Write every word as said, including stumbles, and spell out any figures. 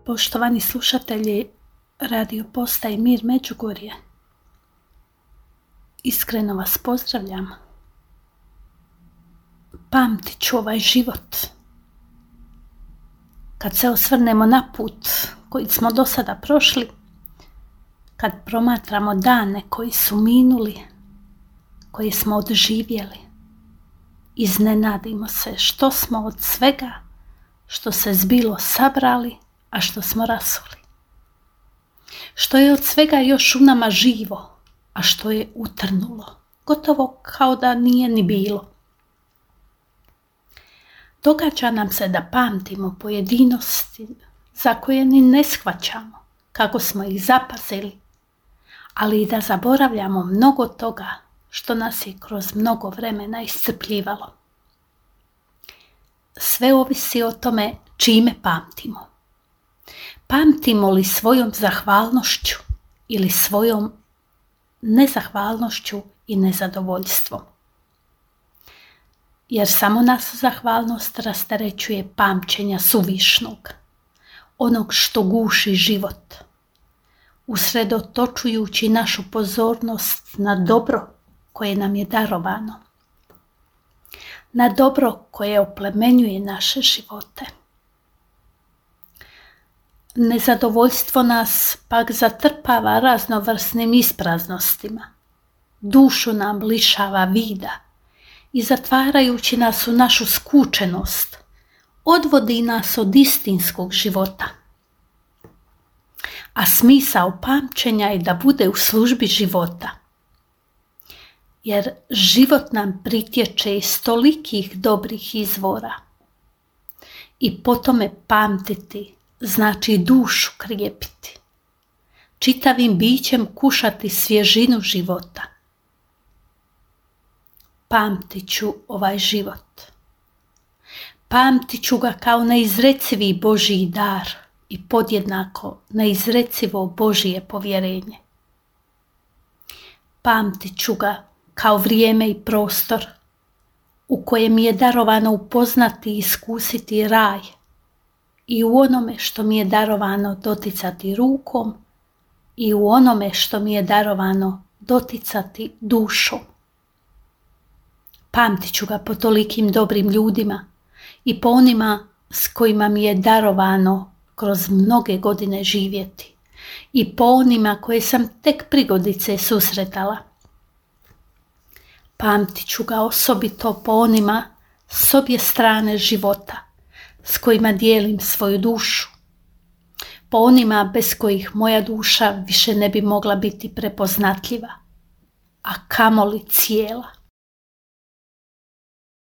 Poštovani slušatelji Radio Postaje Mir Međugorje, iskreno vas pozdravljam. Pamtit ću ovaj život. Kad se osvrnemo na put koji smo do sada prošli, kad promatramo dane koji su minuli, koje smo odživjeli, iznenadimo se što smo od svega što se zbilo sabrali, a što smo rasuli. Što je od svega još u nama živo, a što je utrnulo, gotovo kao da nije ni bilo. Događa nam se da pamtimo pojedinosti za koje ni ne shvaćamo kako smo ih zapazili, ali i da zaboravljamo mnogo toga što nas je kroz mnogo vremena iscrpljivalo. Sve ovisi o tome čime pamtimo. Pamtimo li svojom zahvalnošću ili svojom nezahvalnošću i nezadovoljstvom? Jer samo nas zahvalnost rasterećuje pamćenja suvišnog, onog što guši život, usredotočujući našu pozornost na dobro koje nam je darovano, na dobro koje oplemenjuje naše živote. Nezadovoljstvo nas pak zatrpava raznovrsnim ispraznostima, dušu nam lišava vida i zatvarajući nas u našu skučenost, odvodi nas od istinskog života. A smisao pamćenja je da bude u službi života, jer život nam pritječe iz tolikih dobrih izvora i po tome pamtiti znači dušu krijepiti, čitavim bićem kušati svježinu života. Pamtit ću ovaj život. Pamtit ću ga kao neizrecivi Božji dar i podjednako neizrecivo Božje povjerenje. Pamtit ću ga kao vrijeme i prostor u kojem je darovano upoznati i iskusiti raj i u onome što mi je darovano doticati rukom i u onome što mi je darovano doticati dušom. Pamtit ću ga po tolikim dobrim ljudima i po onima s kojima mi je darovano kroz mnoge godine živjeti i po onima koje sam tek prigodice susretala. Pamtit ću ga osobito po onima s obje strane života s kojima dijelim svoju dušu, po onima bez kojih moja duša više ne bi mogla biti prepoznatljiva, a kamoli cijela.